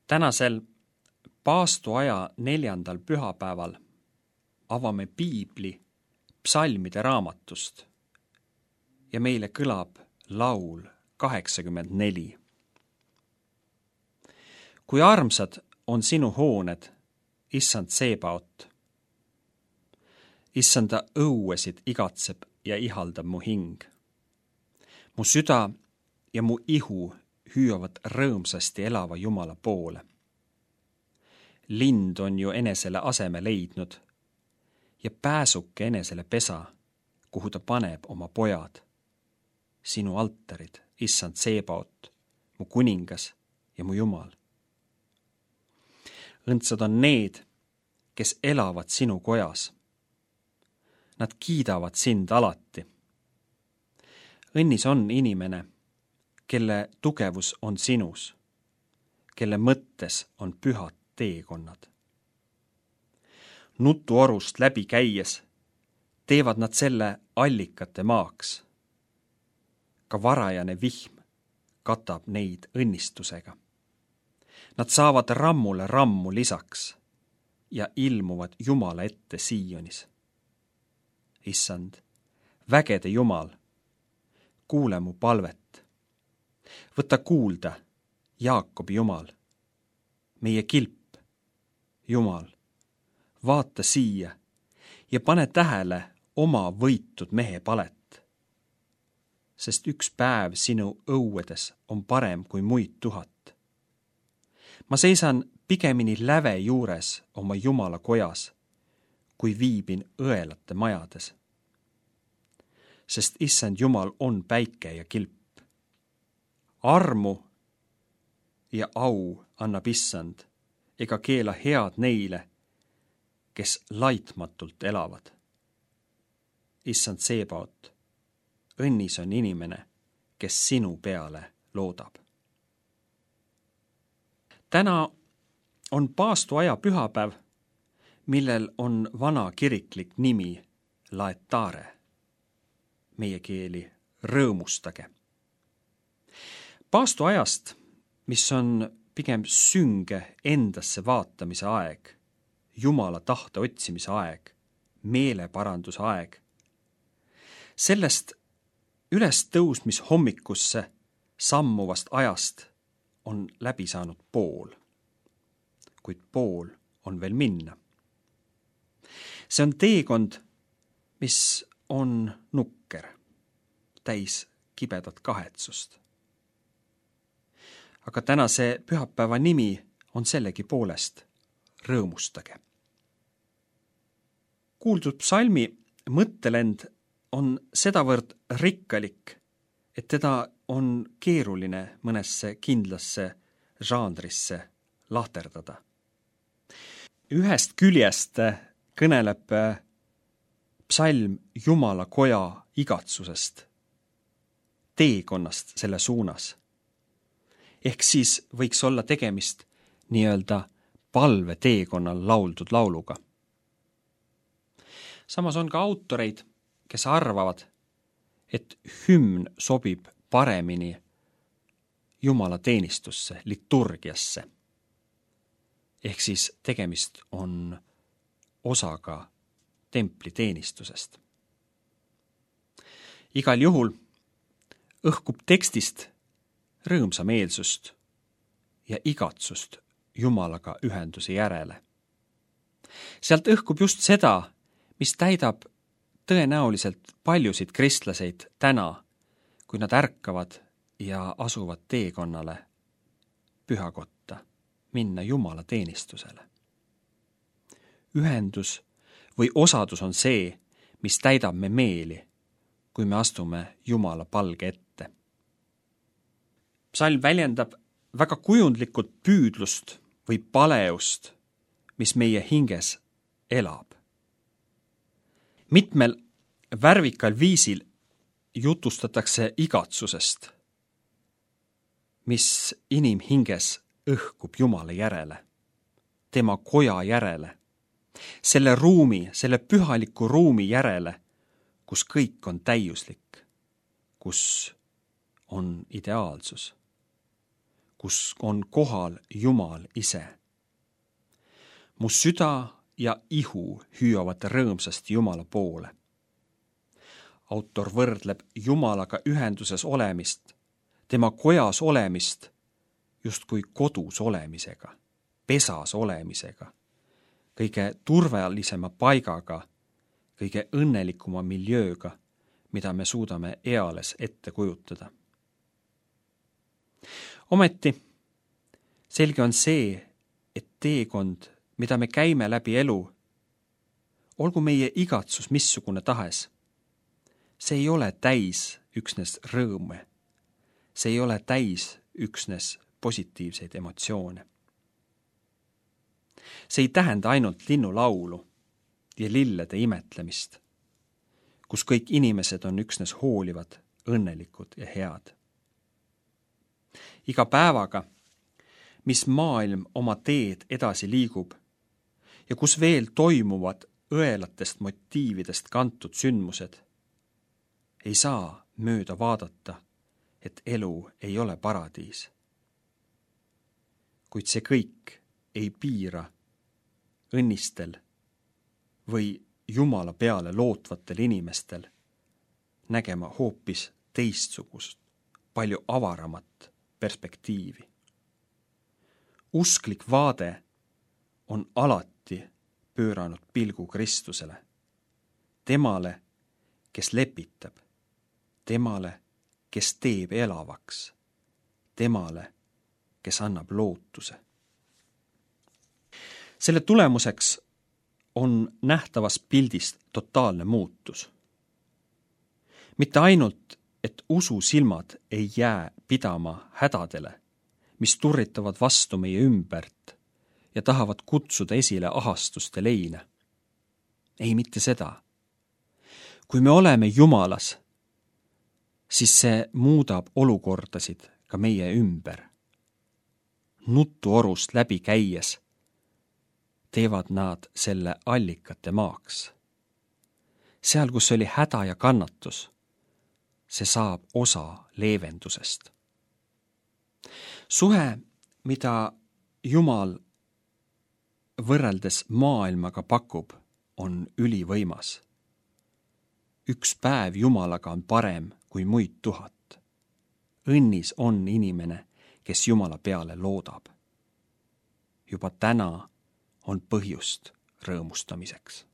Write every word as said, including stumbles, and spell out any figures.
Tänasel paastuaja neljandal pühapäeval avame piibli psalmide raamatust ja meile kõlab laul kaheksakümmend neli. Kui armsad on sinu hooned, issand Seebaot. Issanda õuesid igatseb ja ihaldab mu hing. Mu süda ja mu ihu hüüavad rõõmsasti elava Jumala poole. Lind on ju enesele aseme leidnud ja pääsuke enesele pesa, kuhu ta paneb oma pojad. Sinu altarid, issand Seebaot, mu kuningas ja mu Jumal. Õndsad on need, kes elavad sinu kojas. Nad kiidavad sind alati. Õnnis on inimene, kelle tugevus on sinus, kelle mõttes on pühad teekonnad. Nutuorust läbi käies teevad nad selle allikate maaks. Ka varajane vihm katab neid õnnistusega. Nad saavad rammule rammu lisaks ja ilmuvad Jumala ette Siionis. Issand, vägede Jumal, kuule mu palvet. Võta kuulda, Jaakobi Jumal, meie kilp, Jumal, vaata siia ja pane tähele oma võitud mehe palet. Sest üks päev sinu õuedes on parem kui muid tuhat. Ma seisan pigemini läve juures oma Jumala kojas, kui viibin õelate majades. Sest issand Jumal on päike ja kilp. Armu ja au annab issand, ega keela head neile, kes laitmatult elavad. Issand Seebaot, õnnis on inimene, kes sinu peale loodab. Täna on paastuaja pühapäev, millel on vana kiriklik nimi Laetare, meie keeli rõõmustage. Paastuajast, mis on pigem sünge endasse vaatamise aeg, Jumala tahte otsimise aeg, meeleparanduse aeg. Sellest üles tõusmis hommikusse sammuvast ajast on läbi saanud pool, kuid pool on veel minna. See on teekond, mis on nukker, täis kibedat kahetsust. Aga tänase pühapäeva nimi on sellegi poolest rõõmustage. Kuuldud psalmi mõttelend on sedavõrd rikkalik, et teda on keeruline mõnesse kindlasse žanrisse lahterdada. Ühest küljest kõneleb psalm Jumala koja igatsusest, teekonnast selle suunas. Ehk siis võiks olla tegemist nii-öelda palve teekonnal lauldud lauluga. Samas on ka autoreid, kes arvavad, et hümn sobib paremini Jumala teenistusse, liturgiasse. Ehk siis tegemist on osaga templi teenistusest. Igal juhul õhkub tekstist rõõmsameelsust ja igatsust Jumalaga ühenduse järele. Sealt õhkub just seda, mis täidab tõenäoliselt paljusid kristlaseid täna, kui nad ärkavad ja asuvad teekonnale pühakotta, minna Jumala teenistusele. Ühendus või osadus on see, mis täidab me meeli, kui me astume Jumala palge ette. Psalm väljendab väga kujundlikult püüdlust või paleust, mis meie hinges elab. Mitmel värvikal viisil jutustatakse igatsusest, mis inimhinges õhkub Jumala järele, tema koja järele, selle ruumi, selle pühaliku ruumi järele, kus kõik on täiuslik, kus on ideaalsus, kus on kohal Jumal ise. Mu süda ja ihu hüüavad rõõmsasti Jumala poole. Autor võrdleb Jumalaga ühenduses olemist, tema kojas olemist justkui kodus olemisega, pesas olemisega, kõige turvalisema paigaga, kõige õnnelikuma miljööga, mida me suudame eales ette kujutada. Ometi selge on see, et teekond, mida me käime läbi elu, olgu meie igatsus missugune tahes, see ei ole täis üksnes rõõme, see ei ole täis üksnes positiivseid emotsioone. See ei tähenda ainult linnulaulu ja lillede imetlemist, kus kõik inimesed on üksnes hoolivad, õnnelikud ja head. Iga päevaga, mis maailm oma teed edasi liigub ja kus veel toimuvad õelatest motiividest kantud sündmused, ei saa mööda vaadata, et elu ei ole paradiis. Kuid see kõik ei piira õnnistel või Jumala peale lootvatel inimestel nägema hoopis teistsugust, palju avaramat perspektiivi. Usklik vaade on alati pööranud pilgu Kristusele, temale, kes lepitab, temale, kes teeb elavaks, temale, kes annab lootuse. Selle tulemuseks on nähtavas pildist totaalne muutus. Mitte ainult, et usu silmad ei jää pidama hädadele, mis turritavad vastu meie ümbert ja tahavad kutsuda esile ahastuste leine. Ei mitte seda. Kui me oleme Jumalas, siis see muudab olukordasid ka meie ümber. Nutuorust läbi käies teevad nad selle allikate maaks. Seal, kus oli häda ja kannatus, see saab osa leevendusest. Suhe, mida Jumal võrreldes maailmaga pakub, on ülivõimas. Üks päev Jumalaga on parem kui muid tuhat. Õnnis on inimene, kes Jumala peale loodab. Juba täna on põhjust rõõmustamiseks.